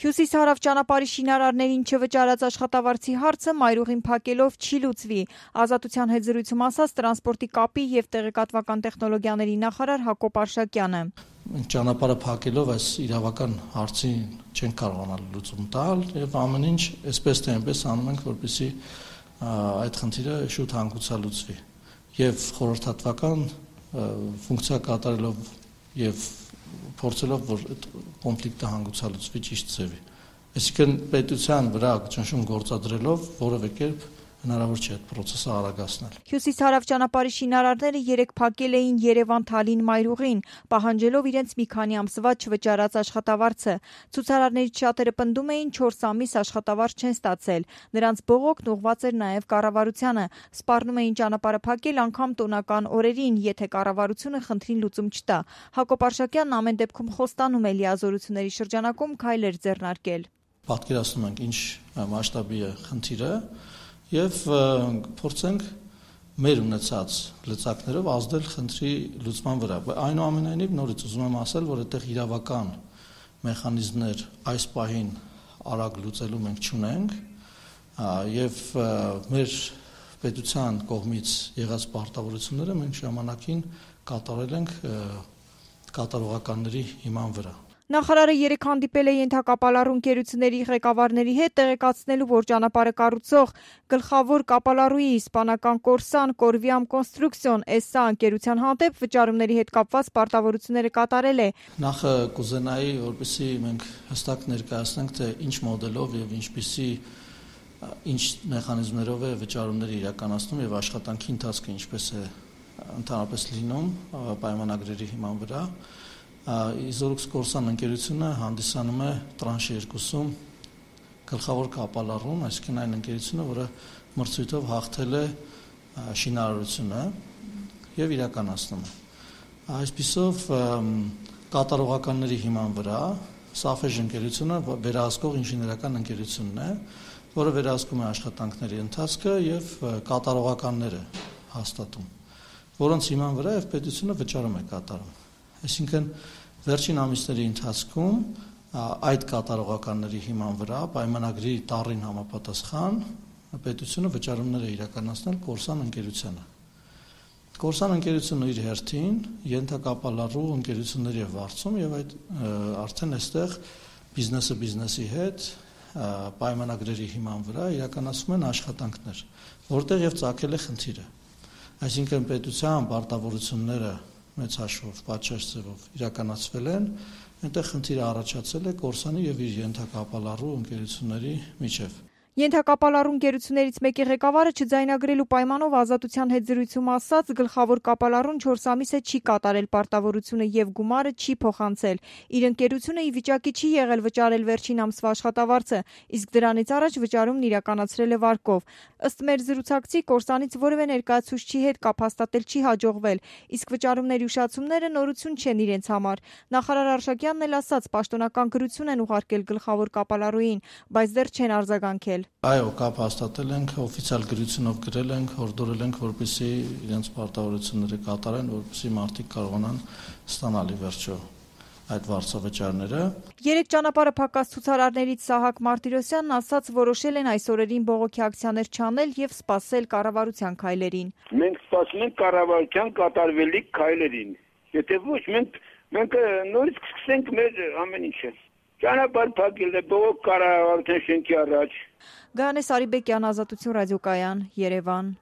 Հյուսիս-հարավ ճանապարհի շինարարներին չվճարած աշխատավարձի հարցը մայրուղին փակելով չի լուծվի։ Ազատության հետ զրույցում ասաց տրանսպորտի կապի եւ տեղեկատվական տեխնոլոգիաների նախարար Հակոբ Արշակյանը։ Ճանապարհը փակելով այս իրավական հարցին չեն կարողանալ լուծում տալ եւ ամեն ինչ այսպես թե այնպես անում ենք, որպեսզի այդ խնդիրը շուտ հանգուցալուծվի եւ խորհրդատվական ֆունկցիա կատարելով եւ փորձելով որ այդ կոնֆլիկտը հանգուցալուծվի ճիշտ ձևի։ Այսինքն պետության վրա ճնշում գործադրելով որևէ կերպ հնարավոր չէ այդ process-ը արագացնել։ Հյուսիս-հարավ ճանապարհի շինարարները երեկ փակել էին Երևան-Թալին մայրուղին, պահանջելով իրենց մի քանի ամսվա չվճարած աշխատավարձը։ Ցուցարարներից շատերը պնդում էին 4 ամիս աշխատավարձ չեն ստացել։ Նրանց բողոքն ուղղված էր նաև կառավարությանը։ Սպառնում էին ճանապարհը փակել անգամ տոնական օրերին, եթե կառավարությունը խնդրին լուծում չտա։ Հակոբ Արշակյանն ամեն դեպքում խոստանում է լիազորությունների շրջանակում քայլեր ձեռնարկել։ Պատկերացնում ենք ինչ մասշտաբի է խնդիրը եւ փորձենք մեր ունեցած լծակներով ազդել խնդրի լուծման վրա։ Այնուամենայնիվ նորից ուզում եմ ասել, որ այդտեղ իրավական մեխանիզմներ այս պահին արագ լուծելու մենք չունենք եւ մեր պետության կողմից եղած պարտավորությունները մենք ժամանակին կատարել ենք կատարողականների հիման վրա։ Նախարարը երեկ հանդիպել է ենթակապալառու ընկերությունների ղեկավարների հետ տեղեկացնելու, որ ճանապարհը կառուցող գլխավոր կապալառուի իսպանական Կորսան Կորվիամ Կոնստրուկցիոն SA ընկերության հանդեպ վճարումների հետ կապված պարտավորությունները կատարել է։ Նախ կուզենայի, որպեսզի մենք հստակ ներկայացնենք, թե ինչ մոդելով եւ ինչ մեխանիզմներով է վճարումները իրականացնում եւ աշխատանքի ընթացքը ինչպես է ընդհանրապես լինում պայմանագրերի հիման վրա։ Իզորուքս Կորսան ընկերությունը հանդիսանում է տրանշ 2-ում գլխավոր կապալառուն, այսինքն այն ընկերությունը, որը մրցույթով հաղթել է շինարարությունը եւ իրականացնում է։ Այսպիսով կատարողականների հիման վրա Սաֆեժ ընկերությունը վերահսկող ինժեներական ընկերությունն է, որը վերահսկում է աշխատանքների ընթացքը եւ կատարողականները հաստատում, որոնց հիման վրա եւ պետությունը վճարում է կատարում։ Այսինքն վերջին ամիսների ընթացքում այդ կատարողականների հիման վրա պայմանագրի տառին համապատասխան պետությունը վճարումներ է իրականացնել Կորսան ընկերությանը։ Կորսան ընկերությունը իր հերթին ենթակապալառու ընկերությունների է վարձում եւ այդ արդեն այստեղ բիզնեսը բիզնեսի հետ պայմանագրերի հիման վրա իրականացում են աշխատանքներ, որտեղ եւ ծագել է խնդիրը։ Այսինքն պետության պարտավորությունները մեծ հաշվով, պատշաճ ձևով իրականացվել են, այնտեղ խնդիրը առաջացել է Կորսանի եւ իր ենթակապալառու ընկերությունների միջև։ Ենթակապալառու ընկերություններից մեկի ղեկավարը չձայնագրելու պայմանով Ազատության հետ զրույցում ասաց, գլխավոր կապալառուն 4 ամիս է չի կատարել պարտավորությունը եւ գումարը չի փոխանցել։ Իր ընկերությունը ի վիճակի չի եղել վճարել վերջին ամսվա աշխատավարձը, իսկ դրանից առաջ վճարումն իրականացրել է վարկով։ Ըստ մեր զրուցակցի Կորսանից որևէ ներկայացուցչի հետ կապ հաստատել չի հաջողվել, իսկ վճարումների ուշացումները նորություն չեն իրենց համար։ Նախարար Արշակյանն էլ ասաց, պաշտոնական գրություն են ուղարկել գլխավոր կապալառուին, բայց դեռ չեն արձագանքել։ Այո, կապ հաստատել ենք, օֆիցիալ գրությունով գրել ենք, հորդորել ենք, որպեսզի իրենց պարտավորությունները կատարեն, որպեսզի մարդիկ կարողանան ստանալ ի վերջո այդ վարձավճարները։ Երեք ճանապարհը փակած ցուցարարներից Սահակ Մարտիրոսյանն ասաց, որոշել են այս օրերին բողոքի ակցիաներ չանել եւ սպասել կառավարության քայլերին։ Մենք սպասում ենք կառավարության կատարվելիք քայլերին։ Եթե ոչ, մենք նորից կսկսենք մեր ամեն ինչը։ Ճանապարհ փակել է բողոք կառավարության շենքի առաջ։ Գայանե Սարիբեկյան, Ազատություն ռադիոկայան, Երևան։